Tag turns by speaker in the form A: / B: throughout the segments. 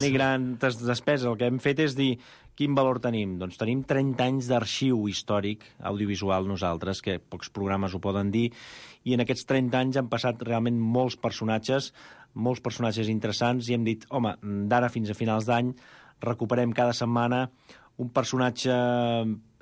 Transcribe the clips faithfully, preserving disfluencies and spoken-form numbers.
A: Ni grans despeses. El que hem fet és dir quin valor tenim. Doncs tenim trenta anys d'arxiu històric audiovisual nosaltres, que pocs programes ho poden dir, i en aquests trenta anys han passat realment molts personatges, molts personatges interessants, i hem dit, home, d'ara fins a finals d'any recuperem cada setmana un personatge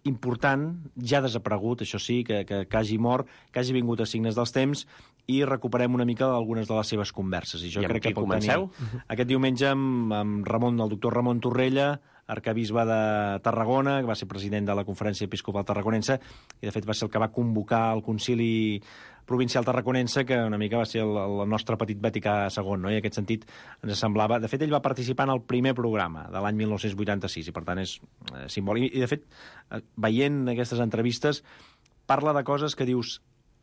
A: important, ja desaparegut, això sí, que, que, que hagi mort, que hagi vingut a Signes dels Temps, i recuperem una mica algunes de les seves converses. I jo
B: I
A: crec que pot
B: comenceu?
A: tenir aquest diumenge amb, amb Ramon, el doctor Ramon Torrella, arcabisbe de Tarragona, que va ser president de la Conferència Episcopal Tarraconense, i de fet va ser el que va convocar el concili provincial tarraconense, que una mica va ser el, el nostre petit Vaticà segon, no? I en aquest sentit ens semblava... De fet, ell va participar en el primer programa de l'any mil nou-cents vuitanta-sis, i per tant és eh, simbòlic. I de fet, eh, veient aquestes entrevistes, parla de coses que dius...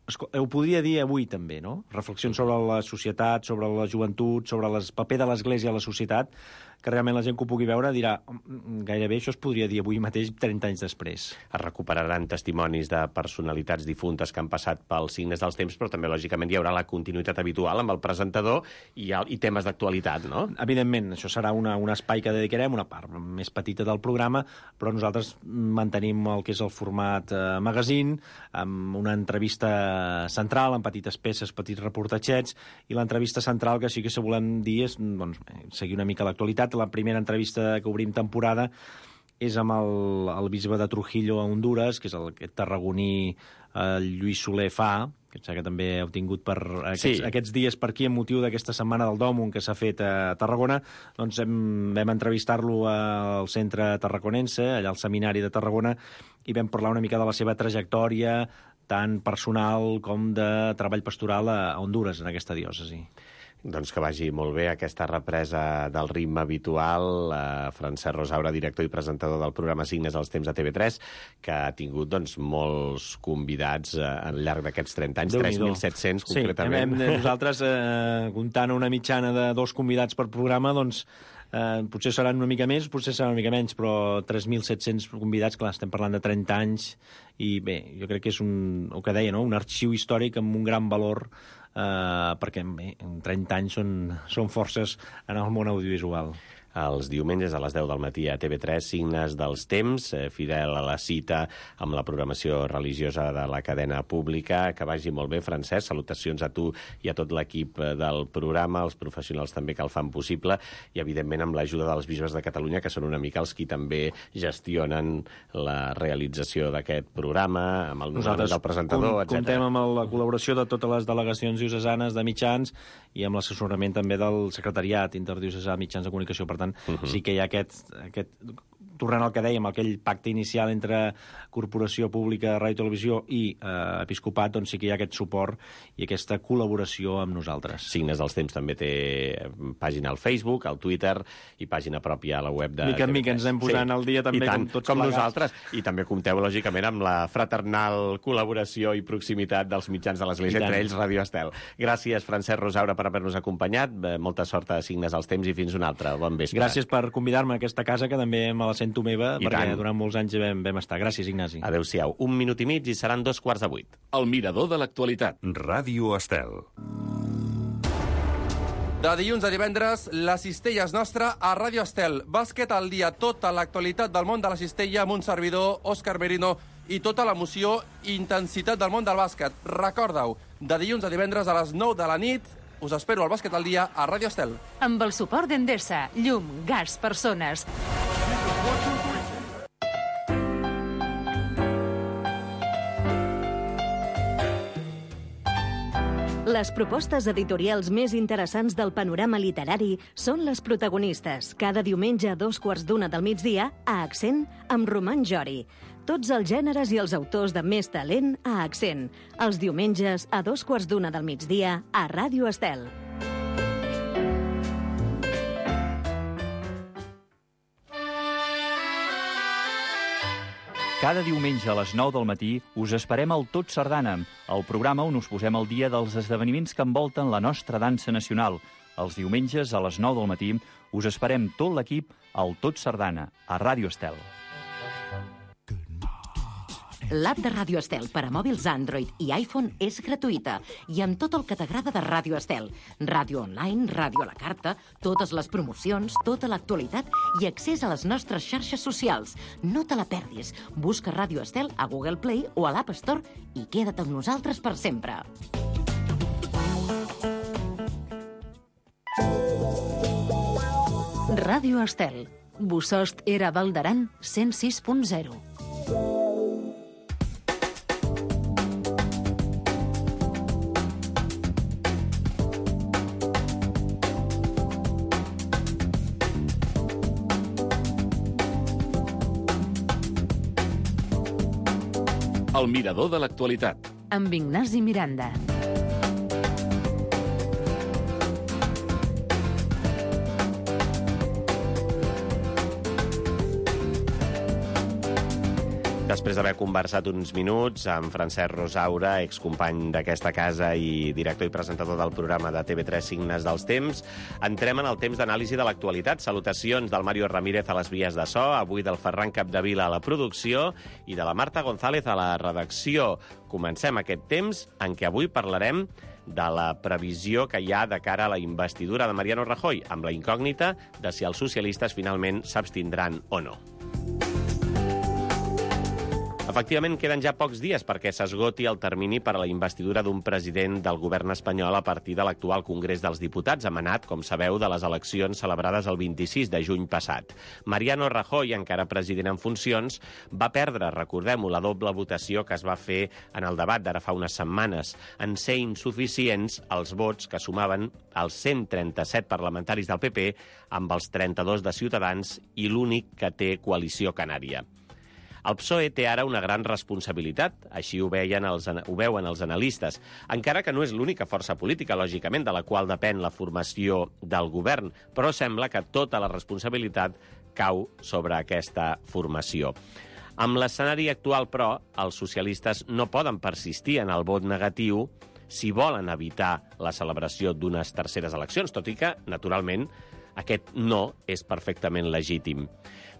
A: Ho podria dir avui també, no? Reflexions sobre la societat, sobre la joventut, sobre el paper de l'Església a la societat, que realment la gent que ho pugui veure dirà gairebé això es podria dir avui mateix trenta anys després.
B: Es recuperaran testimonis de personalitats difuntes que han passat pels Signes dels Temps, però també, lògicament, hi haurà la continuïtat habitual amb el presentador i, el, i temes d'actualitat, no?
A: Evidentment, això serà una, un espai que dedicarem, una part més petita del programa, però nosaltres mantenim el que és el format eh, magazine, amb una entrevista central, amb petites peces, petits reportatgets, i l'entrevista central, que sí que se volem dir, és doncs, seguir una mica l'actualitat. La primera entrevista que obrim temporada és amb el, el bisbe de Trujillo a Honduras, que és el, aquest tarragoní eh, Lluís Soler Fa, que que també heu tingut per aquests, sí. aquests dies per aquí, en motiu d'aquesta setmana del Dòmum que s'ha fet a Tarragona. Doncs hem, vam entrevistar-lo al centre tarraconense, allà al seminari de Tarragona, i vam parlar una mica de la seva trajectòria, tant personal com de treball pastoral a Honduras, en aquesta diòcesi.
B: Doncs que vagi molt bé aquesta represa del ritme habitual. Eh, Francesc Rosaura, director i presentador del programa Signes dels Temps a T V tres, que ha tingut doncs, molts convidats eh, al llarg d'aquests trenta anys, tres mil set-cents concretament.
A: Sí, hem, nosaltres, eh, comptant una mitjana de dos convidats per programa, doncs eh, potser seran una mica més, potser seran una mica menys, però tres mil set-cents convidats, clar, estem parlant de trenta anys, i bé, jo crec que és un, el que deia, no? Un arxiu històric amb un gran valor, Uh, perquè bé, trenta anys són, són forces en el món audiovisual.
B: Els diumenges a les deu del matí a T V tres, Signes dels Temps, eh, fidel a la cita amb la programació religiosa de la cadena pública. Que vagi molt bé, Francesc. Salutacions a tu i a tot l'equip del programa, els professionals també que el fan possible, i evidentment amb l'ajuda dels bisbes de Catalunya, que són una mica els qui també gestionen la realització d'aquest programa, amb el nomenament del presentador, etcètera.
A: Comptem amb la col·laboració de totes les delegacions diocesanes de mitjans i amb l'assessorament també del secretariat interdiocesà de mitjans de comunicació. Per tant, Uh-huh. sí que hi ha aquest, aquest, tornant al que dèiem, aquell pacte inicial entre Corporació Pública, Ràdio i Televisió i eh, Episcopat, doncs sí que hi ha aquest suport i aquesta col·laboració amb nosaltres.
B: Signes dels Temps també té pàgina al Facebook, al Twitter i pàgina pròpia a la web de...
A: Mica en mica ens anem posant sí. al dia també,
B: tant,
A: com tots
B: com
A: plegats.
B: Nosaltres. I també compteu, lògicament, amb la fraternal col·laboració i proximitat dels mitjans de l'Església, entre ells Radio Estel. Gràcies, Francesc Rosaura, per haver-nos acompanyat. Molta sort a Signes dels Temps i fins una altra. Bon vespre.
A: Gràcies per convidar-me a aquesta casa, que també me la sento meva,
B: I
A: perquè
B: tant.
A: durant molts anys vam, vam estar. Gràcies, Ignasi.
B: Adéu-siau. Un minut i mig i seran dos quarts de vuit.
C: El mirador de l'actualitat.
D: Ràdio Estel.
E: De dilluns a divendres, la cistella és nostra a Ràdio Estel. Bàsquet al dia, tota l'actualitat del món de la cistella amb un servidor, Òscar Merino, i tota l'emoció i intensitat del món del bàsquet. Recorda-ho, de dilluns a divendres a les nou de la nit, us espero al Bàsquet al dia a Ràdio Estel.
F: Amb el suport d'Endesa, llum, gas, persones. Les propostes editorials més interessants del panorama literari són les protagonistes, cada diumenge a dos quarts d'una del migdia, a Accent, amb Roman Jori. Tots els gèneres i els autors de més talent a Accent. Els diumenges a dos quarts d'una del migdia, a Ràdio Estel.
G: Cada diumenge a les nou del matí us esperem al Tot Sardana, el programa on us posem al dia dels esdeveniments que envolten la nostra dansa nacional. Els diumenges a les nou del matí us esperem tot l'equip al Tot Sardana, a Ràdio Estel.
C: L'app de Ràdio Estel per a mòbils Android i iPhone és gratuïta i amb tot el que t'agrada de Ràdio Estel. Ràdio online, ràdio a la carta, totes les promocions, tota l'actualitat i accés a les nostres xarxes socials. No te la perdis. Busca Ràdio Estel a Google Play o a l'App Store i queda't amb nosaltres per sempre.
F: Ràdio Estel. Bosost era Val d'Aran cent sis punt zero.
D: El mirador de l'actualitat.
F: Amb Ignasi Miranda.
B: Després d'haver conversat uns minuts amb Francesc Rosaura, excompany d'aquesta casa i director i presentador del programa de T V tres Signes dels Temps, entrem en el temps d'anàlisi de l'actualitat. Salutacions del Mario Ramírez a les vies de so, avui del Ferran Capdevila a la producció i de la Marta González a la redacció. Comencem aquest temps en què avui parlarem de la previsió que hi ha de cara a la investidura de Mariano Rajoy, amb la incògnita de si els socialistes finalment s'abstindran o no. Efectivament, queden ja pocs dies perquè s'esgoti el termini per a la investidura d'un president del govern espanyol a partir de l'actual Congrés dels Diputats, emanat, com sabeu, de les eleccions celebrades el vint-i-sis de juny passat. Mariano Rajoy, encara president en funcions, va perdre, recordem-ho, la doble votació que es va fer en el debat d'ara fa unes setmanes, en ser insuficients els vots que sumaven els cent trenta-set parlamentaris del P P amb els trenta-dos de Ciutadans i l'únic que té coalició canària. El P S O E té ara una gran responsabilitat, així ho, veien els, ho veuen els analistes, encara que no és l'única força política, lògicament, de la qual depèn la formació del govern, però sembla que tota la responsabilitat cau sobre aquesta formació. Amb l'escenari actual, però, els socialistes no poden persistir en el vot negatiu si volen evitar la celebració d'unes terceres eleccions, tot i que, naturalment, aquest no és perfectament legítim.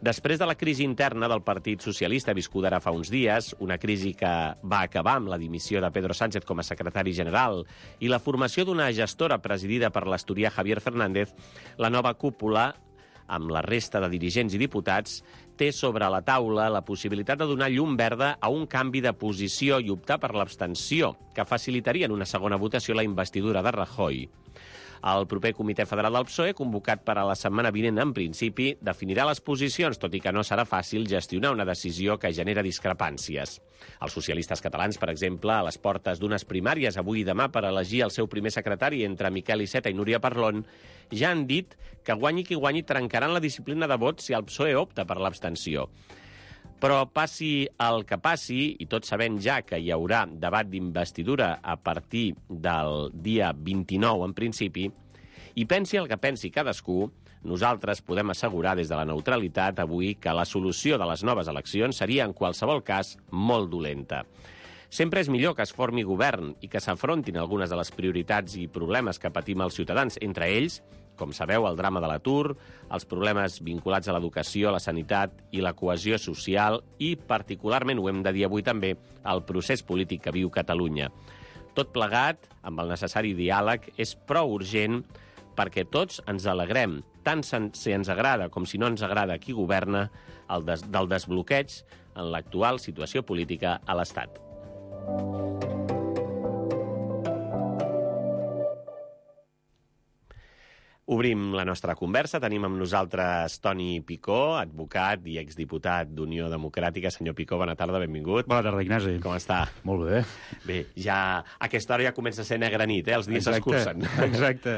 B: Després de la crisi interna del Partit Socialista viscuda ara fa uns dies, una crisi que va acabar amb la dimissió de Pedro Sánchez com a secretari general i la formació d'una gestora presidida per l'asturià Javier Fernández, la nova cúpula, amb la resta de dirigents i diputats, té sobre la taula la possibilitat de donar llum verda a un canvi de posició i optar per l'abstenció, que facilitaria en una segona votació la investidura de Rajoy. El proper Comitè Federal del P S O E, convocat per a la setmana vinent, en principi, definirà les posicions, tot i que no serà fàcil gestionar una decisió que genera discrepàncies. Els socialistes catalans, per exemple, a les portes d'unes primàries avui i demà per elegir el seu primer secretari entre Miquel Iceta i Núria Parlon, ja han dit que guanyi qui guanyi trencaran la disciplina de vot si el P S O E opta per l'abstenció. Però passi el que passi, i tots sabem ja que hi haurà debat d'investidura a partir del dia vint-i-nou, en principi, i pensi el que pensi cadascú, nosaltres podem assegurar des de la neutralitat avui que la solució de les noves eleccions seria, en qualsevol cas, molt dolenta. Sempre és millor que es formi govern i que s'afrontin algunes de les prioritats i problemes que patim els ciutadans, entre ells, com sabeu, el drama de l'atur, els problemes vinculats a l'educació, la sanitat i la cohesió social i, particularment, ho hem de dir avui també, el procés polític que viu Catalunya. Tot plegat, amb el necessari diàleg, és prou urgent perquè tots ens alegrem, tant si ens agrada com si no ens agrada qui governa, el des del desbloqueig en l'actual situació política a l'Estat. Obrim la nostra conversa. Tenim amb nosaltres Toni Picó, advocat i exdiputat d'Unió Democràtica. Senyor Picó, bona tarda, benvingut.
H: Bona tarda, Ignasi.
B: Com està?
H: Molt bé.
B: Bé, ja a aquesta hora ja comença a ser negra nit, eh? Els dies s'escurcen.
H: Exacte.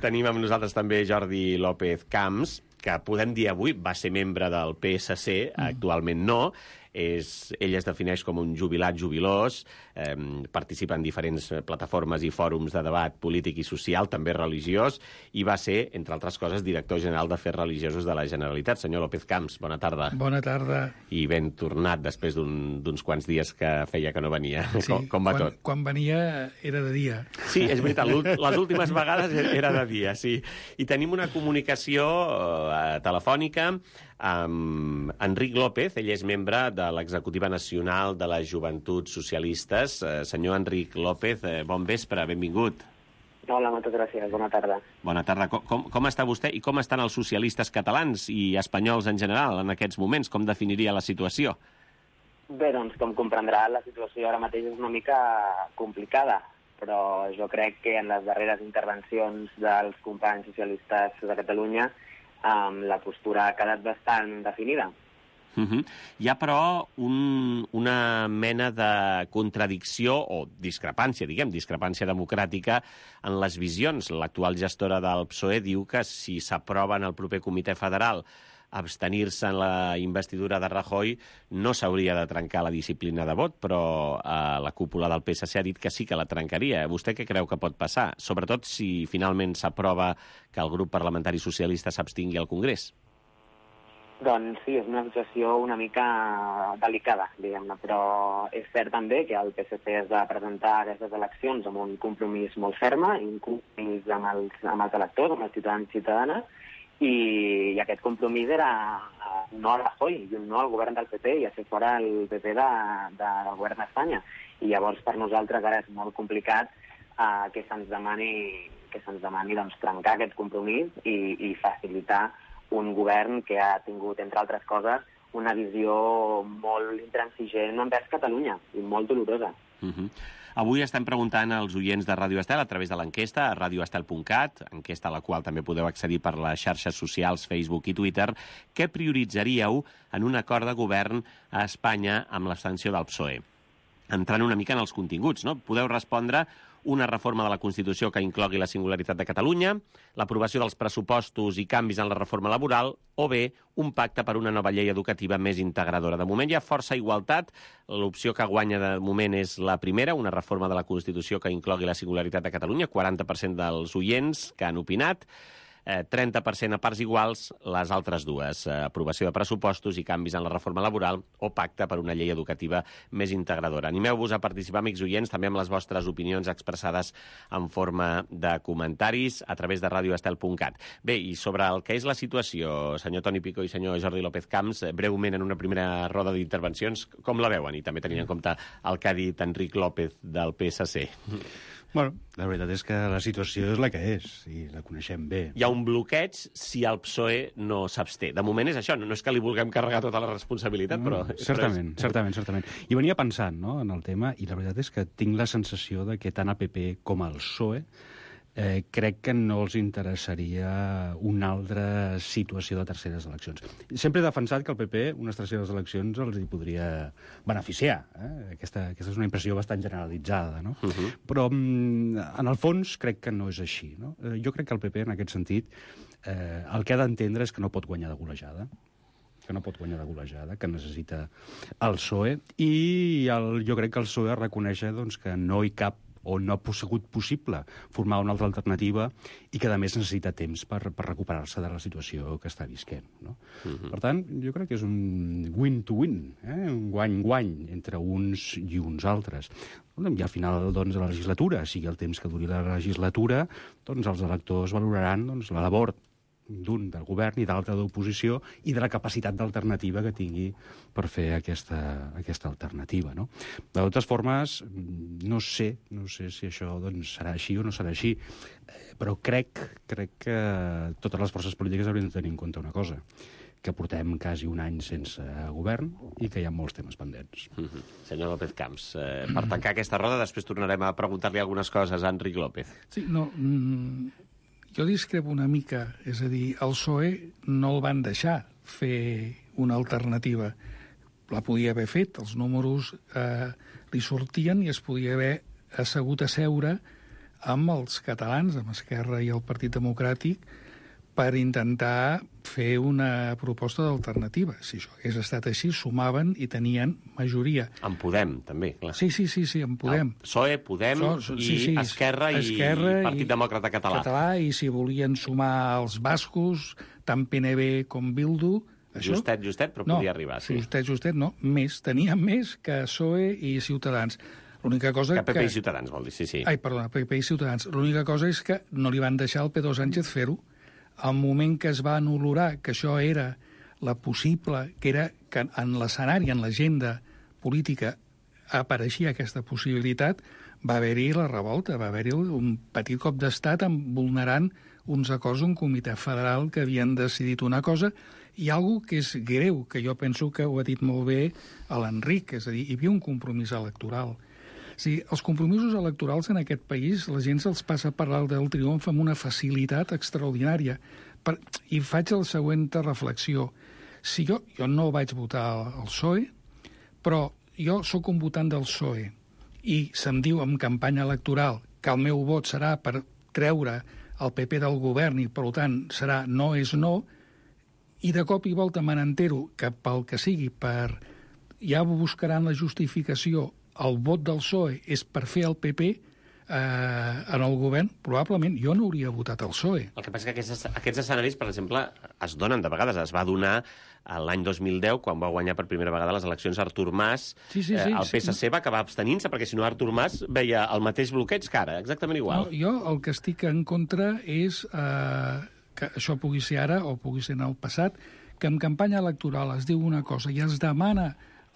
B: Tenim amb nosaltres també Jordi López Camps, que podem dir avui va ser membre del P S C, mm. actualment no. És, ell es defineix com un jubilat jubilós, eh, participa en diferents plataformes i fòrums de debat polític i social, també religiós, i va ser, entre altres coses, director general d'Afers Religiosos de la Generalitat. Senyor López Camps, bona tarda.
I: Bona tarda.
B: I ben tornat després d'uns un, quants dies que feia que no venia. Sí, com, com va
I: quan,
B: tot?
I: Quan venia era de dia.
B: Sí, és veritat, les últimes vegades era de dia, sí. I tenim una comunicació eh, telefònica amb Enric López. Ell és membre de l'Executiva Nacional de les Joventuts Socialistes. Eh, senyor Enric López, eh, bon vespre, benvingut.
H: Hola, moltes gràcies. Bona tarda.
B: Bona tarda. Com, com, com està vostè i com estan els socialistes catalans i espanyols en general en aquests moments? Com definiria la situació?
H: Bé, doncs, com comprendrà, la situació ara mateix és una mica complicada, però jo crec que en les darreres intervencions dels companys socialistes de Catalunya um, la postura ha quedat bastant definida.
B: Uh -huh. Hi ha, però, un, una mena de contradicció o discrepància, diguem, discrepància democràtica en les visions. L'actual gestora del P S O E diu que si s'aprova en el proper comitè federal abstenir-se en la investidura de Rajoy no s'hauria de trencar la disciplina de vot, però eh, la cúpula del P S C ha dit que sí que la trencaria. Vostè què creu que pot passar? Sobretot si finalment s'aprova que el grup parlamentari socialista s'abstingui al Congrés.
H: Doncs sí, és una situació una mica delicada, diguem-ne, però és cert també que el P S C es va presentar a aquestes eleccions amb un compromís molt ferm, i un compromís amb els, amb els electors, amb els ciutadans i ciutadanes, i, i aquest compromís era no a Rajoy i un no al govern del P P i a fer fora el P P de, de, del govern d'Espanya. I llavors per nosaltres ara és molt complicat uh, que se'ns demani, que se'ns demani doncs, trencar aquest compromís i, i facilitar un govern que ha tingut, entre altres coses, una visió molt intransigent envers Catalunya i molt dolorosa.
B: Uh-huh. Avui estem preguntant als oients de Ràdio Estel a través de l'enquesta a radio estel punt cat, enquesta a la qual també podeu accedir per les xarxes socials, Facebook i Twitter, què prioritzaríeu en un acord de govern a Espanya amb l'abstenció del P S O E? Entrant una mica en els continguts, no? Podeu respondre una reforma de la Constitució que inclogui la singularitat de Catalunya, l'aprovació dels pressupostos i canvis en la reforma laboral, o bé un pacte per una nova llei educativa més integradora. De moment hi ha força igualtat. L'opció que guanya de moment és la primera, una reforma de la Constitució que inclogui la singularitat de Catalunya, quaranta per cent dels oients que han opinat, eh, trenta per cent a parts iguals les altres dues, eh, aprovació de pressupostos i canvis en la reforma laboral o pacte per una llei educativa més integradora. Animeu-vos a participar, amics oients, també amb les vostres opinions expressades en forma de comentaris a través de radio estel punt cat. Bé, i sobre el que és la situació, senyor Toni Picó i senyor Jordi López Camps, breument en una primera roda d'intervencions, com la veuen? I també tenint en compte el que ha dit Enric López del P S C.
J: Bueno, la veritat és que la situació és la que és, i la coneixem bé.
B: Hi ha un bloqueig si el P S O E no s'absté. De moment és això, no és que li vulguem carregar tota la responsabilitat, però...
J: Mm, certament, però és... certament, certament. I venia pensant, no?, en el tema, i la veritat és que tinc la sensació de que tant el P P com el P S O E eh, crec que no els interessaria una altra situació de terceres eleccions. Sempre he defensat que el P P unes terceres eleccions els hi podria beneficiar. Eh? Aquesta, aquesta és una impressió bastant generalitzada, no? Uh-huh. Però, en el fons, crec que no és així, no? Eh, jo crec que el P P, en aquest sentit, eh, el que ha d'entendre és que no pot guanyar de golejada, que no pot guanyar de golejada, que necessita el P S O E, i el, jo crec que el P S O E reconeix doncs, que no hi cap o no ha sigut possible formar una altra alternativa i que, a més, necessita temps per, per recuperar-se de la situació que està visquent, no? Uh-huh. Per tant, jo crec que és un win-to-win, eh? un guany-guany entre uns i uns altres. I al final doncs, de la legislatura, sigui el temps que duri la legislatura, doncs els electors valoraran doncs, la labor d'un del govern i d'altre d'oposició i de la capacitat d'alternativa que tingui per fer aquesta, aquesta alternativa, no? De totes formes, no sé, no sé si això doncs, serà així o no serà així, però crec, crec que totes les forces polítiques haurien de tenir en compte una cosa, que portem quasi un any sense govern i que hi ha molts temes pendents.
B: Mm-hmm. Senyor López Camps, eh, per tancar aquesta roda, després tornarem a preguntar-li algunes coses a Enric López.
I: Sí, no... Mm... Jo discrepo una mica, és a dir, el P S O E no el van deixar fer una alternativa. La podia haver fet, els números eh, li sortien i es podia haver assegut a seure amb els catalans, amb Esquerra i el Partit Democràtic, per intentar fer una proposta d'alternativa. Si això hagués estat així, sumaven i tenien majoria.
B: En Podem, també, clar.
I: Sí, sí, sí, sí en Podem.
B: El P S O E, Podem so, so, sí, sí, i Esquerra,
I: Esquerra
B: i Partit
I: i
B: Demòcrata Català.
I: Català. I si volien sumar els bascos, tant P N B com Bildu... Això?
B: Justet, justet, però
I: no,
B: podia arribar, sí.
I: Justet, justet, no. Més, tenien més que P S O E i Ciutadans. L'única cosa
B: que... P P
I: que...
B: i Ciutadans, vol dir, sí, sí.
I: Ai, perdona, P P i Ciutadans. L'única cosa és que no li van deixar al Pedro Sánchez fer-ho. al moment que es va anular que això era la possible, que era que en l'escenari, en l'agenda política, apareixia aquesta possibilitat, va haver-hi la revolta, va haver-hi un petit cop d'estat vulnerant uns acords d'un comitè federal que havien decidit una cosa, i algo que és greu, que jo penso que ho ha dit molt bé l'Enric, és a dir, hi havia un compromís electoral. O sigui, els compromisos electorals en aquest país, la gent se'ls passa a parlar del triomf amb una facilitat extraordinària. Per... I faig la següent reflexió. Si jo, jo no vaig votar al P S O E, però jo sóc un votant del P S O E i se'm diu en campanya electoral que el meu vot serà per treure el P P del govern i, per tant, serà no és no, i de cop i volta me n'entero que pel que sigui, per ja buscaran la justificació, el vot del P S O E és per fer el P P eh, en el govern, probablement jo no hauria votat el P S O E.
B: El que passa és que aquests, aquests escenaris, per exemple, es donen de vegades. Es va donar l'any dos mil deu, quan va guanyar per primera vegada les eleccions Artur Mas,
I: sí, sí, sí,
B: eh, el P S C
I: sí.
B: va acabar abstenint-se, perquè si no Artur Mas veia el mateix bloqueig que ara, exactament igual.
I: No, jo el que estic en contra és eh, que això pugui ser ara o pugui ser en el passat, que en campanya electoral es diu una cosa i es demana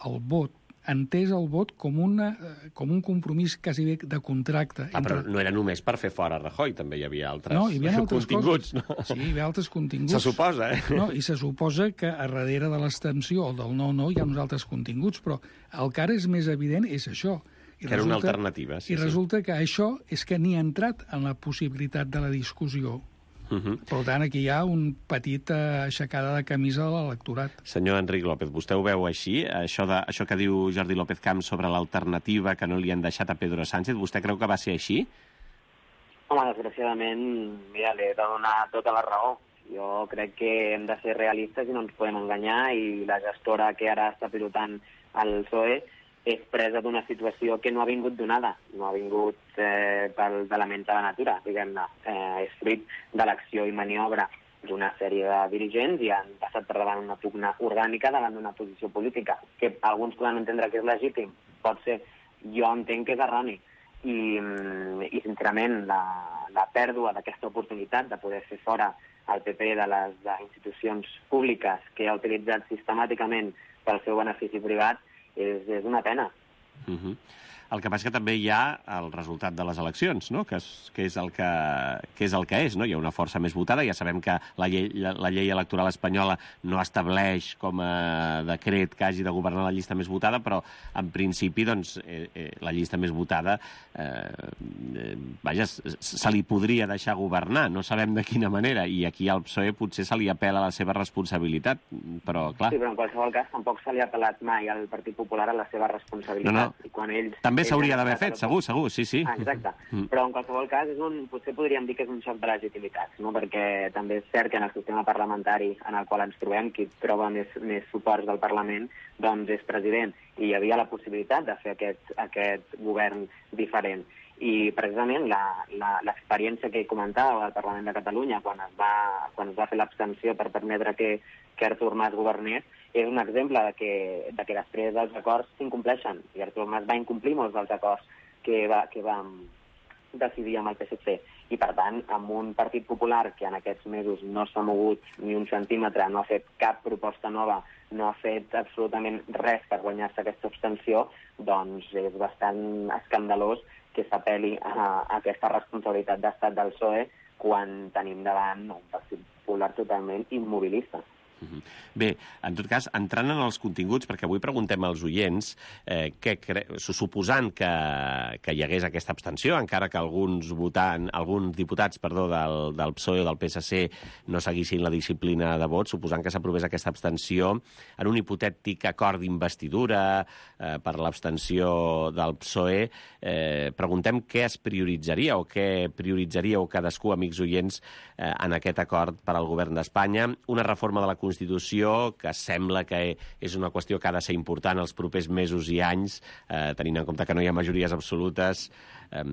I: el vot, entès el vot com, una, com un compromís quasi bé de contracte.
B: Ah, entre... però no era només per fer fora Rajoy, també hi havia altres,
I: no, hi havia altres
B: continguts.
I: Coses.
B: No?
I: Sí, hi havia altres continguts.
B: Se suposa, eh?
I: No, i se suposa que a darrere de l'extensió o del no-no hi ha uns altres continguts, però el que ara és més evident és això. I
B: que era
I: resulta,
B: una alternativa. Sí,
I: I resulta sí. que això és que ni ha entrat en la possibilitat de la discussió. Uh -huh. Per tant, aquí hi ha un petit uh, aixecada de camisa de l'electorat.
B: Senyor Enric López, vostè ho veu així? Això, de, això que diu Jordi López Camps sobre l'alternativa que no li han deixat a Pedro Sánchez, vostè creu que va ser així?
H: Home, desgraciadament, mira, li he de donar tota la raó. Jo crec que hem de ser realistes i no ens podem enganyar, i la gestora que ara està pilotant el P S O E és presa d'una situació que no ha vingut donada, no ha vingut eh, pel, de la ment de la natura, diguem-ne. Eh, és fruit de l'acció i maniobra d'una sèrie de dirigents i han passat per davant una pugna orgànica davant d'una posició política, que alguns poden entendre que és legítim, pot ser, jo entenc que és erroni. I, i sincerament, la, la pèrdua d'aquesta oportunitat de poder fer fora el P P de les de institucions públiques que ha utilitzat sistemàticament pel seu benefici privat és, és una pena.
B: Uh-huh. El que passa que també hi ha el resultat de les eleccions, no? que, és, que, és el que, que és el que és. No? Hi ha una força més votada. Ja sabem que la llei, la, la llei electoral espanyola no estableix com a decret que hagi de governar la llista més votada, però en principi doncs, eh, eh, la llista més votada eh, eh, vaja, se li podria deixar governar. No sabem de quina manera. I aquí al P S O E potser se li apela la seva responsabilitat, però clar...
H: Sí, però en qualsevol cas tampoc se li ha apelat mai al Partit Popular a la seva responsabilitat.
B: No, no.
H: I quan ells...
B: També s'hauria d'haver fet, segur, segur, sí, sí.
H: Ah, exacte. Mm. Però en qualsevol cas és un, potser podríem dir que és un xoc de legitimitats, no? Perquè també és cert que en el sistema parlamentari en el qual ens trobem, qui troba més, més suports del Parlament, doncs és president. I hi havia la possibilitat de fer aquest, aquest govern diferent. I precisament l'experiència que comentava al Parlament de Catalunya quan es va, quan es va fer l'abstenció per permetre que, que Artur Mas governés és un exemple de que, de que després els acords s'incompleixen. I Artur Mas va incomplir molts dels acords que va, que vam decidir amb el P S C. I, per tant, amb un Partit Popular que en aquests mesos no s'ha mogut ni un centímetre, no ha fet cap proposta nova, no ha fet absolutament res per guanyar-se aquesta abstenció, doncs és bastant escandalós que s'apel·li a, a aquesta responsabilitat d'estat del P S O E quan tenim davant un Partit Popular totalment immobilista.
B: Bé, en tot cas, entrant en els continguts, perquè avui preguntem als oients, eh, que cre... suposant que, que hi hagués aquesta abstenció, encara que alguns votant, alguns diputats perdó, del, del P S O E o del P S C no seguissin la disciplina de vot, suposant que s'aprovés aquesta abstenció, en un hipotètic acord d'investidura eh, per l'abstenció del P S O E, eh, preguntem què es prioritzaria o què prioritzaríeu cadascú, amics oients, eh, en aquest acord per al govern d'Espanya. Una reforma de la Constitució que sembla que és una qüestió que ha de ser important els propers mesos i anys, eh, tenint en compte que no hi ha majories absolutes, eh,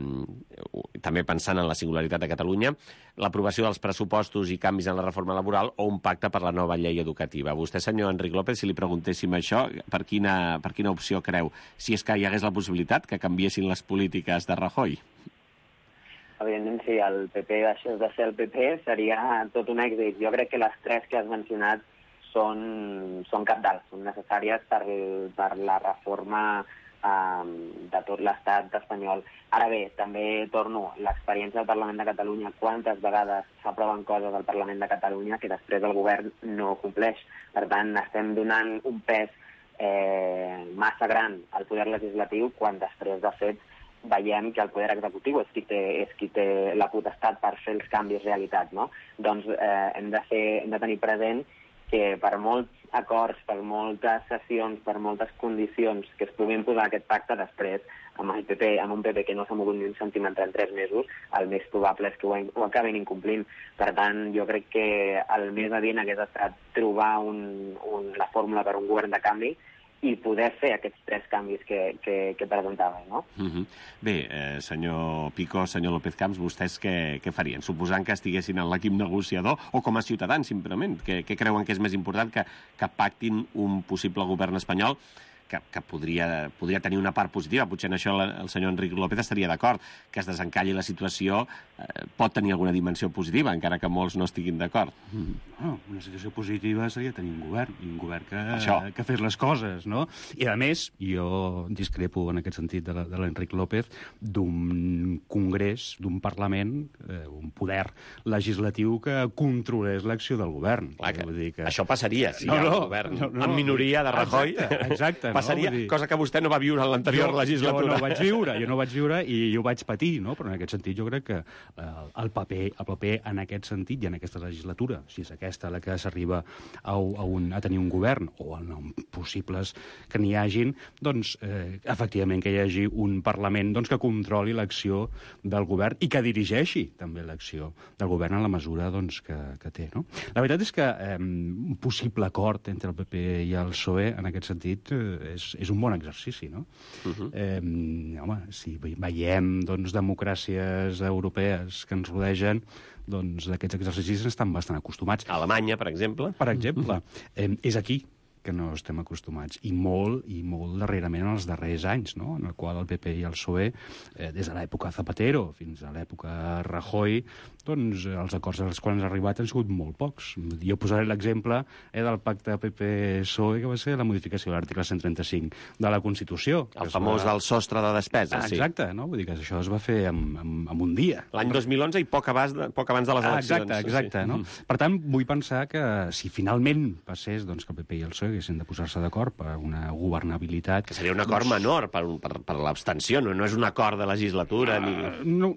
B: també pensant en la singularitat de Catalunya, l'aprovació dels pressupostos i canvis en la reforma laboral o un pacte per la nova llei educativa. Vostè, senyor Enric López, si li preguntéssim això, per quina, per quina opció creu? Si és que hi hagués la possibilitat que canviessin les polítiques de Rajoy?
H: evidentment, si el P P deixés de ser el P P, seria tot un èxit. Jo crec que les tres que has mencionat són, són cabdals, són necessàries per, per la reforma um, de tot l'estat espanyol. Ara bé, també torno, l'experiència del Parlament de Catalunya, quantes vegades s'aproven coses al Parlament de Catalunya que després el govern no compleix. Per tant, estem donant un pes eh, massa gran al poder legislatiu quan després, de fet, veiem que el poder executiu és qui té, és qui té la potestat per fer els canvis realitat, no? Doncs eh, hem, de fer, hem de tenir present que per molts acords, per moltes sessions, per moltes condicions que es puguin posar aquest pacte, després, amb el P P, amb un P P que no s'ha mogut ni un centímetre en tres mesos, el més probable és que ho, ho acabin incomplint. Per tant, jo crec que el més adient hagués estat trobar un, un, la fórmula per un govern de canvi i poder fer aquests tres canvis que, que, que presentava, no?
B: Uh-huh. Bé, eh, senyor Picó, senyor López Camps, vostès què, què farien? Suposant que estiguessin en l'equip negociador o com a ciutadans, simplement? Què, què creuen que és més important que, que pactin un possible govern espanyol que, que podria, podria tenir una part positiva? Potser en això el, el senyor Enric López estaria d'acord, que es desencalli la situació eh, pot tenir alguna dimensió positiva, encara que molts no estiguin d'acord.
J: Mm. Oh, una situació positiva seria tenir un govern, un govern que,
B: això.
J: que fes les coses, no? I, a més, jo discrepo en aquest sentit de l'Enric López d'un congrés, d'un Parlament, eh, un poder legislatiu que controlés l'acció del govern.
B: Clar que,
J: vull dir que...
B: això passaria si
J: no,
B: hi ha
J: no,
B: un govern
J: no, no,
B: en minoria de Rajoy.
J: Exacte, exacte.
B: Passaria,
J: no? Dir...
B: cosa que vostè no va viure en l'anterior legislatura.
J: Jo no ho vaig viure, jo no ho vaig viure i ho vaig patir, no? Però en aquest sentit jo crec que eh, el, paper, el paper en aquest sentit i en aquesta legislatura, si és aquesta la que s'arriba a, a, un, a tenir un govern o en possibles que n'hi hagin, doncs eh, efectivament que hi hagi un Parlament doncs, que controli l'acció del govern i que dirigeixi també l'acció del govern en la mesura doncs, que, que té. No? La veritat és que eh, un possible acord entre el P P i el P S O E en aquest sentit eh, és, és un bon exercici, no? Uh-huh. eh, home, si veiem doncs, democràcies europees que ens rodegen, doncs d'aquests exercicis estan bastant acostumats.
B: A Alemanya, per exemple.
J: Per exemple. eh, és aquí que no estem acostumats, i molt, i molt darrerament en els darrers anys, no? En el qual el P P i el P S O E, eh, des de l'època Zapatero fins a l'època Rajoy, doncs els acords als quals han arribat han sigut molt pocs. Jo posaré l'exemple eh, del pacte P P P S O E, que va ser la modificació de l'article cent trenta-cinc de la Constitució.
B: El famós va... del sostre de despesa,
J: ah,
B: sí.
J: Exacte, no? Vull dir que això es va fer en, en, en un dia.
B: L'any dos mil onze i poc abans de, poc abans de les eleccions.
J: Ah, exacte, exacte. Sí. No? Mm. Per tant, vull pensar que si finalment passés doncs, que el P P i el P S O E haguessin de posar-se d'acord per una governabilitat...
B: Que seria un acord doncs... menor per, per, per l'abstenció, no? No és un acord de legislatura. Uh,
J: ni... no,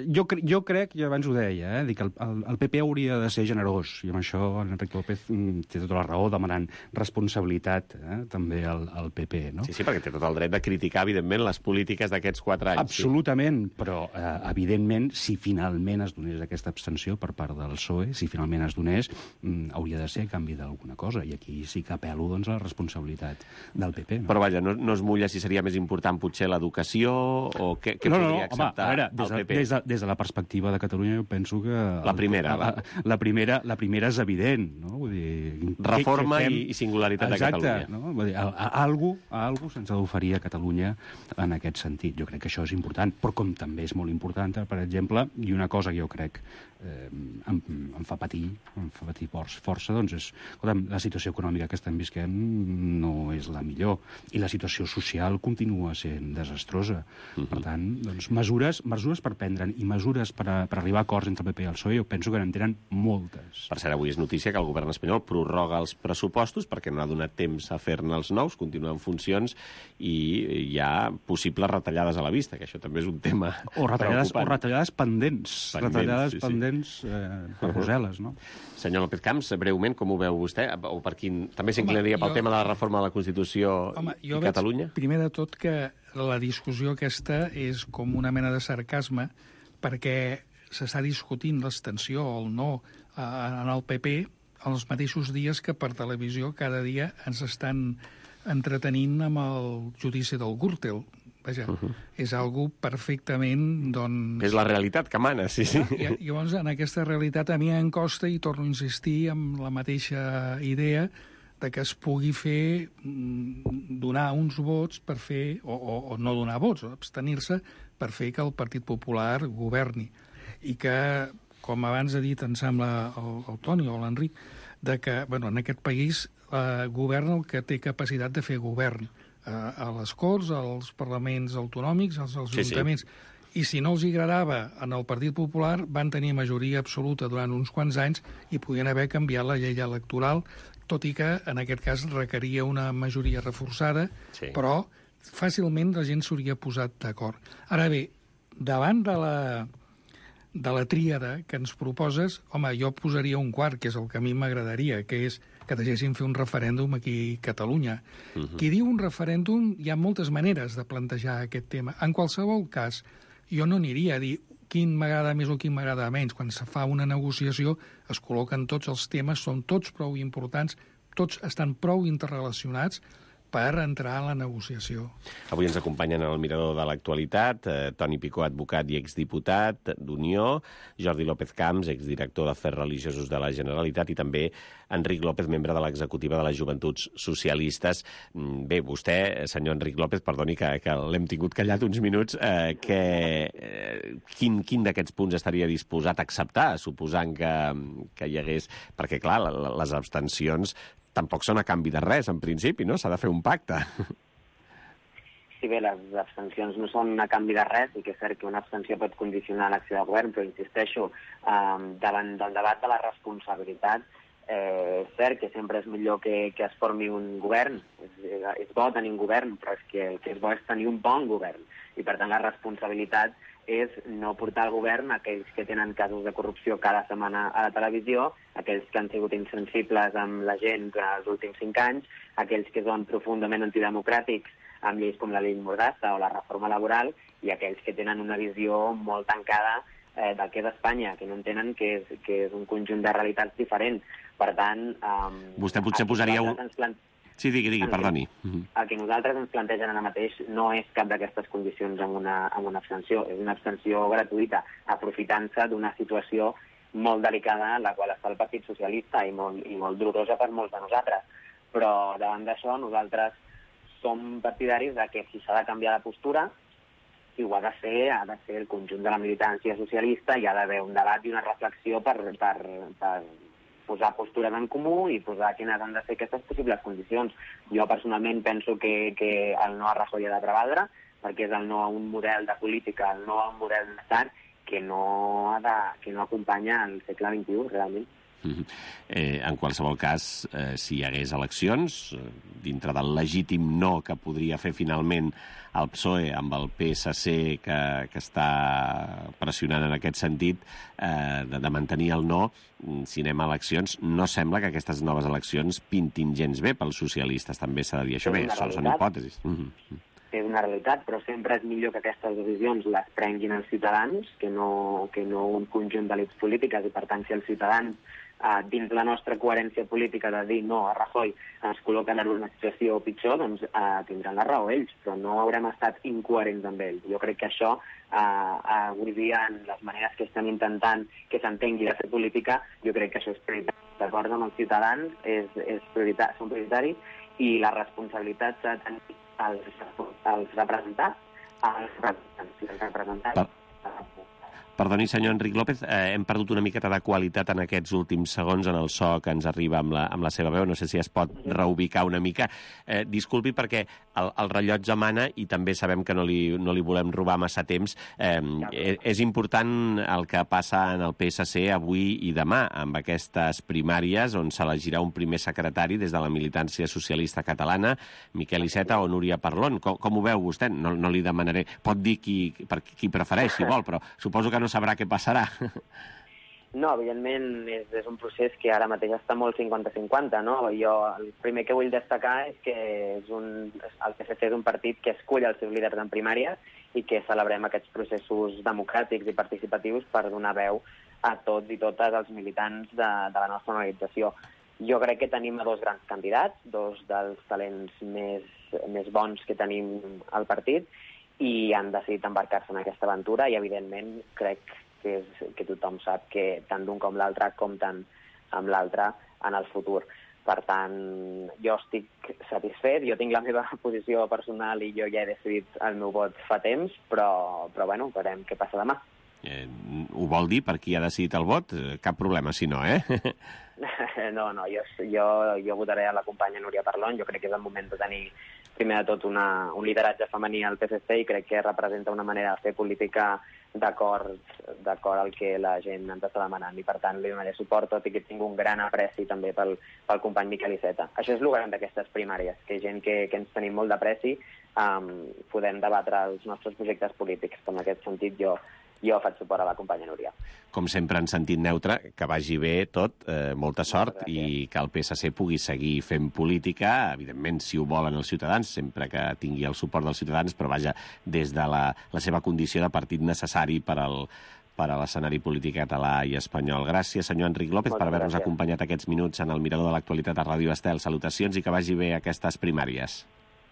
J: jo, cre jo crec, i abans ho deia, eh, dic que el, el, el P P hauria de ser generós, i amb això l'Enric López té tota la raó demanant responsabilitat eh, també al, al P P. No?
B: Sí, sí, perquè té tot el dret de criticar, evidentment, les polítiques d'aquests quatre anys.
J: Absolutament, sí. Però, eh, evidentment, si finalment es donés aquesta abstenció per part del P S O E, si finalment es donés, mm, hauria de ser a canvi d'alguna cosa, i aquí sí que apel·lo doncs, a la responsabilitat del P P. No?
B: Però vaja, no, no es mulla si seria més important potser l'educació o què, què
J: no,
B: podria
J: no, no,
B: acceptar
J: home, veure, des de,
B: el P P?
J: Des de, des de la perspectiva de Catalunya jo penso que...
B: La primera,
J: el, la, la, primera, la primera és evident, no? Vull dir,
B: reforma
J: que, que fem...
B: i, i singularitat
J: Exacte,
B: de Catalunya.
J: No? Vull dir, a, a, a algú, a algú se'ns ha d'oferir a Catalunya en aquest sentit. Jo crec que això és important, però com també és molt important, per exemple, i una cosa que jo crec eh, em, em fa patir, em fa patir força, doncs és, escolta'm, la situació econòmica que estem visquent no és la millor, i la situació social continua sent desastrosa. Uh-huh. Per tant, doncs, mesures, mesures per prendre'n i mesures per, a, per arribar a acords entre el P P i el P S O E, jo penso que n'en tenen moltes.
B: Per cert, avui és notícia que el govern espanyol prorroga els pressupostos perquè no ha donat temps a fer-ne els nous, continuen en funcions, i hi ha possibles retallades a la vista, que això també és un tema
J: o retallades,
B: preocupant.
J: O retallades pendents, pendents retallades
B: sí,
J: pendents
B: sí.
J: Eh, per Brussel·les, no?
B: Senyor López Camps, breument, com ho veu vostè? O per quin... També s'inclinaria pel jo... tema de la reforma de la Constitució
I: Home,
B: i Catalunya?
I: Veig, primer de tot, que la discussió aquesta és com una mena de sarcasme, perquè s'està discutint l'extensió o el no en el P P els mateixos dies que per televisió cada dia ens estan entretenint amb el judici del Gürtel. Vaja, uh -huh. és algo perfectament, doncs...
B: És la realitat que mana, sí, sí.
I: I, llavors, en aquesta realitat a mi em costa, i torno a insistir amb la mateixa idea, de que es pugui fer, donar uns vots per fer, o, o, o no donar vots, o abstenir-se per fer que el Partit Popular governi. i que, com abans ha dit, em sembla, el, el Toni o l'Enric, de que, bueno, en aquest país eh, governa el que té capacitat de fer govern, eh, a les Corts, als parlaments autonòmics, als, als
B: Sí, sí.
I: ajuntaments. I si no els agradava en el Partit Popular, van tenir majoria absoluta durant uns quants anys i podien haver canviat la llei electoral, tot i que, en aquest cas, requeria una majoria reforçada,
B: Sí.
I: però fàcilment la gent s'hauria posat d'acord. Ara bé, davant de la, de la tríada que ens proposes, home, jo posaria un quart, que és el que a mi m'agradaria, que és que deixessin fer un referèndum aquí a Catalunya. Uh-huh. Qui diu un referèndum, hi ha moltes maneres de plantejar aquest tema. En qualsevol cas, jo no aniria a dir quin m'agrada més o quin m'agrada menys. Quan se fa una negociació es col·loquen tots els temes, són tots prou importants, tots estan prou interrelacionats per entrar a la negociació.
B: Avui ens acompanyen el mirador de l'actualitat, eh, Toni Picó, advocat i exdiputat d'Unió, Jordi López Camps, exdirector d'Afers Religiosos de la Generalitat, i també Enric López, membre de l'executiva de les Joventuts Socialistes. Bé, vostè, senyor Enric López, perdoni que, que l'hem tingut callat uns minuts, eh, que, eh, quin, quin d'aquests punts estaria disposat a acceptar, suposant que, que hi hagués... Perquè, clar, les abstencions tampoc són a canvi de res, en principi, no? S'ha de fer un pacte.
H: Sí, bé, les abstencions no són a canvi de res, i que és cert que una abstenció pot condicionar l'acció de govern, però insisteixo, eh, davant del debat de la responsabilitat, eh, és cert que sempre és millor que, que es formi un govern. És, és bo tenir un govern, però és que el que és bo és tenir un bon govern. I, per tant, la responsabilitat és no portar al govern aquells que tenen casos de corrupció cada setmana a la televisió, aquells que han sigut insensibles amb la gent durant els últims cinc anys, aquells que són profundament antidemocràtics amb lleis com la llei Mordassa o la reforma laboral, i aquells que tenen una visió molt tancada eh, del que és Espanya, que no entenen que és, que és un conjunt de realitats diferents. Per tant... Eh,
B: Vostè potser posaria un...
H: Plant...
B: Sí, digui, digui, perdoni.
H: El que nosaltres ens plantegen ara mateix no és cap d'aquestes condicions amb una, amb una abstenció. És una abstenció gratuïta, aprofitant-se d'una situació molt delicada en la qual està el Partit Socialista i molt, i molt dolorosa per molts de nosaltres. Però davant d'això nosaltres som partidaris de que si s'ha de canviar la postura, i ho ha de fer, ha de ser el conjunt de la militància socialista, i ha d'haver un debat i una reflexió per, per, per posar postures en comú i posar quines han de ser aquestes possibles condicions. Jo personalment penso que, que el no a Rajoy ha de prevaldre, perquè és el no a un model de política, el no a un model d'estat que no, ha de, que no acompanya el segle vint-i-u, realment.
B: Mm-hmm. Eh, en qualsevol cas, eh, si hi hagués eleccions, eh, dintre del legítim no que podria fer finalment el P S O E amb el P S C que, que està pressionant en aquest sentit, eh, de, de mantenir el no, si anem a eleccions, no sembla que aquestes noves eleccions pintin gens bé pels socialistes, també s'ha de dir això. Bé, són, són hipòtesis. Mm-hmm.
H: És una realitat, però sempre és millor que aquestes decisions les prenguin els ciutadans que no, que no un conjunt d'elits polítiques, i per tant si els ciutadans eh, dins la nostra coherència política de dir no a Rajoy ens col·loquen en una situació pitjor, doncs eh, tindran la raó ells, però no haurem estat incoherents amb ells. Jo crec que això eh, avui dia, en les maneres que estem intentant que s'entengui de fer política, jo crec que això és prioritari. D'acord amb els ciutadans és, és prioritari, són prioritaris, i la responsabilitat s'ha de tenir els, els representats, els representants, els representats.
B: Per... Perdoni, senyor Enric López, eh, hem perdut una miqueta de qualitat en aquests últims segons en el so que ens arriba amb la, amb la seva veu. No sé si es pot reubicar una mica. Eh, disculpi, perquè el, el rellotge mana i també sabem que no li, no li volem robar massa temps. Eh, és important el que passa en el P S C avui i demà, amb aquestes primàries on s'elegirà un primer secretari des de la militància socialista catalana, Miquel Iceta o Núria Parlon. Com, com ho veu vostè? No, no li demanaré. Pot dir qui, per, qui prefereix, si vol, però suposo que no sabrà què passarà.
H: No, evidentment és, és un procés que ara mateix està molt cinquanta cinquanta, no? Jo el primer que vull destacar és que és un, el P S C és un partit que escull els seus líders en primàries i que celebrem aquests processos democràtics i participatius per donar veu a tots i totes els militants de, de la nostra organització. Jo crec que tenim a dos grans candidats, dos dels talents més, més bons que tenim al partit, i han decidit embarcar-se en aquesta aventura, i evidentment crec que, és, que tothom sap que tant d'un com l'altre compten amb l'altre en el futur. Per tant, jo estic satisfet, jo tinc la meva posició personal i jo ja he decidit el meu vot fa temps, però, però bueno, veurem què passa demà.
B: Eh, ho vol dir per qui ha decidit el vot? Cap problema, si no, eh?
H: No, no, jo, jo, jo votaré a la companya Núria Parlon. Jo crec que és el moment de tenir, primer de tot, una, un lideratge femení al P S C i crec que representa una manera de fer política d'acord d'acord al que la gent ens està demanant. I, per tant, li donaré suport, tot i que tinc un gran apreci també pel, pel company Miquel Iceta. Això és el gran d'aquestes primàries, que gent que, que ens tenim molt d'apreci um, podem debatre els nostres projectes polítics. En aquest sentit, jo jo faig suport a la companya Núria.
B: Com sempre, en sentit neutre, que vagi bé tot, eh, molta sort, i que el P S C pugui seguir fent política, evidentment, si ho volen els ciutadans, sempre que tingui el suport dels ciutadans, però vaja, des de la, la seva condició de partit necessari per al per a l'escenari polític català i espanyol. Gràcies, senyor Enric López, per haver-nos acompanyat aquests minuts en el Mirador de l'Actualitat a Ràdio Estel. Salutacions i que vagi bé aquestes primàries.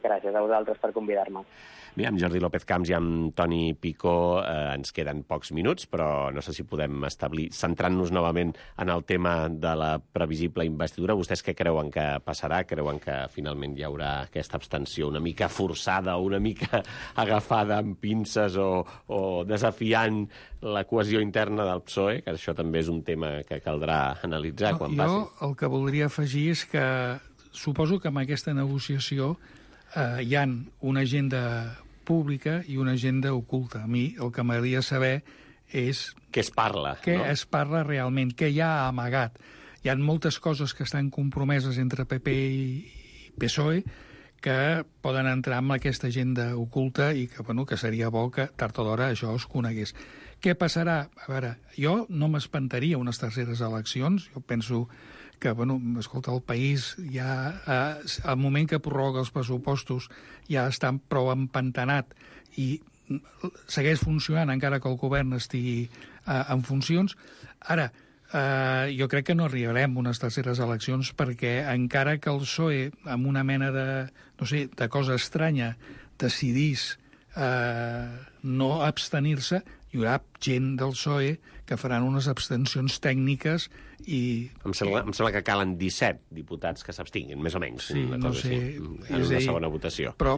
H: Gràcies a vosaltres per convidar-me.
B: Bé, amb Jordi López Camps i amb Toni Picó eh, ens queden pocs minuts, però no sé si podem establir, centrant-nos novament en el tema de la previsible investidura. Vostès què creuen que passarà? Creuen que finalment hi haurà aquesta abstenció una mica forçada, una mica agafada amb pinces o, o desafiant la cohesió interna del P S O E? Que això també és un tema que caldrà analitzar
I: no,
B: quan
I: jo
B: passi.
I: Jo el que voldria afegir és que suposo que amb aquesta negociació eh, hi ha una agenda pública i una agenda oculta. A mi el que m'agradaria saber és...
B: Què es parla,
I: Què
B: no?
I: es parla realment, què hi ha amagat. Hi ha moltes coses que estan compromeses entre P P i P S O E que poden entrar en aquesta agenda oculta i que, bueno, que seria bo que tard o d'hora això es conegués. Què passarà? A veure, jo no m'espantaria unes terceres eleccions. Jo penso que, bueno, escolta, el país ja, eh, al moment que prorroga els pressupostos, ja està prou empantanat i segueix funcionant encara que el govern estigui eh, en funcions. Ara, eh, jo crec que no arribarem a unes terceres eleccions perquè encara que el P S O E, amb una mena de, no sé, de cosa estranya, decidís eh, no abstenir-se, hi haurà gent del P S O E que faran unes abstencions tècniques i...
B: Em sembla, em sembla que calen disset diputats que s'abstinguin, més o menys,
I: sí,
B: una
I: no
B: cosa
I: sé,
B: així, en una segona votació.
I: Però,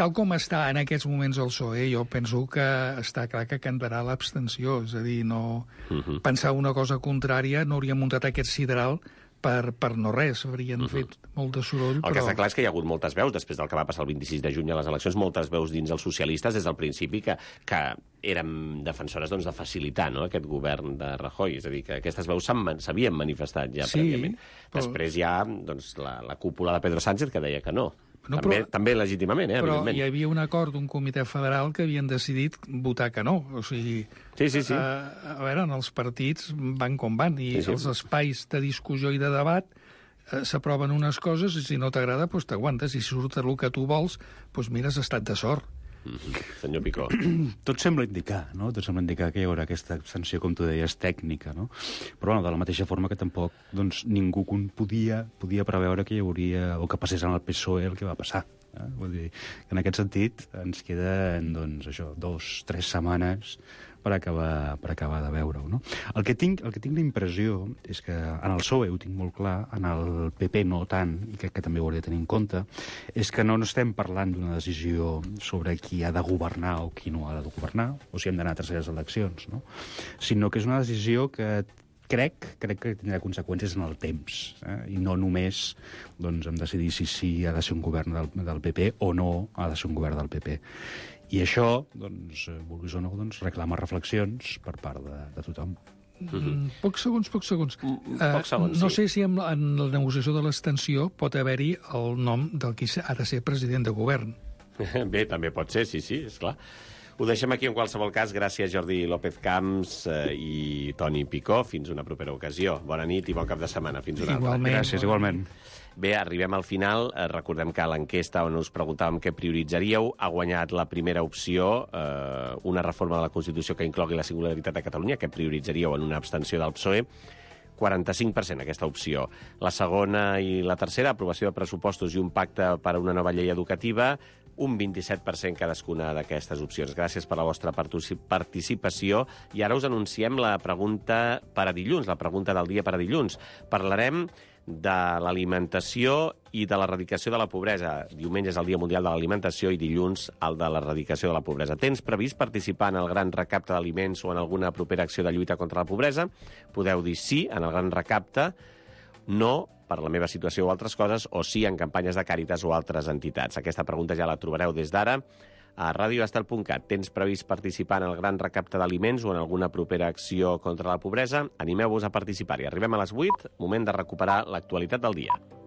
I: tal com està en aquests moments el P S O E, jo penso que està clar que cantarà l'abstenció, és a dir, no... Uh -huh. Pensar una cosa contrària, no hauríem muntat aquest sideral per, per no res, haurien uh -huh. fet molt de soroll,
B: El
I: però...
B: que està clar és que hi ha hagut moltes veus, després del que va passar el vint-i-sis de juny a les eleccions, moltes veus dins els socialistes des del principi que, que érem defensores doncs, de facilitar, no?, aquest govern de Rajoy. És a dir, que aquestes veus s'havien manifestat ja
I: sí,
B: prèviament.
I: però...
B: Després hi ha doncs, la, la cúpula de Pedro Sánchez que deia que no.
I: No,
B: també,
I: però,
B: també legítimament, eh,
I: però
B: evidentment.
I: hi havia un acord d'un comitè federal que havien decidit votar que no. O sigui,
B: sí, sí, sí.
I: Eh, a veure, en els partits van com van, i
B: sí, sí.
I: els espais de discussió i de debat eh, s'aproven unes coses i si no t'agrada, doncs t'aguantes. I si surt el que tu vols, doncs mira, has estat de sort.
B: Mm-hmm. Senyor Picó.
J: Tot sembla indicar, no? Tot sembla indicar que hi haurà aquesta abstenció, com tu deies, tècnica, no? Però, bueno, de la mateixa forma que tampoc doncs, ningú podia, podia preveure que hi hauria, o que passés en el P S O E el que va passar. Eh? Vull dir, que en aquest sentit ens queden, doncs, això, dos, tres setmanes per acabar, per acabar de veure-ho, no? El que tinc, el que tinc la impressió és que en el P S O E ho tinc molt clar, en el P P no tant, i crec que també ho hauria de tenir en compte, és que no estem parlant d'una decisió sobre qui ha de governar o qui no ha de governar, o si hem d'anar a terceres eleccions, no? Sinó que és una decisió que crec, crec que tindrà conseqüències en el temps, eh? I no només doncs, hem de decidir si sí ha de ser un govern del, del P P o no ha de ser un govern del P P. I això, doncs, vulguis o no, doncs, reclama reflexions per part de, de tothom.
I: Mm, pocs segons, pocs segons.
B: Mm, pocs segons,
I: uh, no
B: sí.
I: sé si en, en la negociació de l'extensió pot haver-hi el nom del qui ha de ser president de govern.
B: Bé, també pot ser, sí, sí, esclar. Ho deixem aquí en qualsevol cas. Gràcies, Jordi López Camps eh, i Toni Picó. Fins una propera ocasió. Bona nit i bon cap de setmana. Fins una
I: igualment,
B: altra.
J: Gràcies, igualment.
B: Bé, arribem al final. Eh, recordem que a l'enquesta on us preguntàvem què prioritzaríeu ha guanyat la primera opció, eh, una reforma de la Constitució que inclogui la singularitat de Catalunya, que prioritzaríeu en una abstenció del P S O E. quaranta-cinc per cent aquesta opció. La segona i la tercera, aprovació de pressupostos i un pacte per a una nova llei educativa, un vint-i-set per cent cadascuna d'aquestes opcions. Gràcies per la vostra participació. I ara us anunciem la pregunta per a dilluns, la pregunta del dia per a dilluns. Parlarem de l'alimentació i de l'erradicació de la pobresa. Diumenge és el Dia Mundial de l'Alimentació i dilluns el de l'erradicació de la pobresa. Tens previst participar en el gran recapte d'aliments o en alguna propera acció de lluita contra la pobresa? Podeu dir sí en el gran recapte, no per la meva situació o altres coses, o sí en campanyes de Càritas o altres entitats. Aquesta pregunta ja la trobareu des d'ara a radio estel punt cat. Tens previst participar en el gran recapte d'aliments o en alguna propera acció contra la pobresa? Animeu-vos a participar-hi. Arribem a les vuit, moment de recuperar l'actualitat del dia.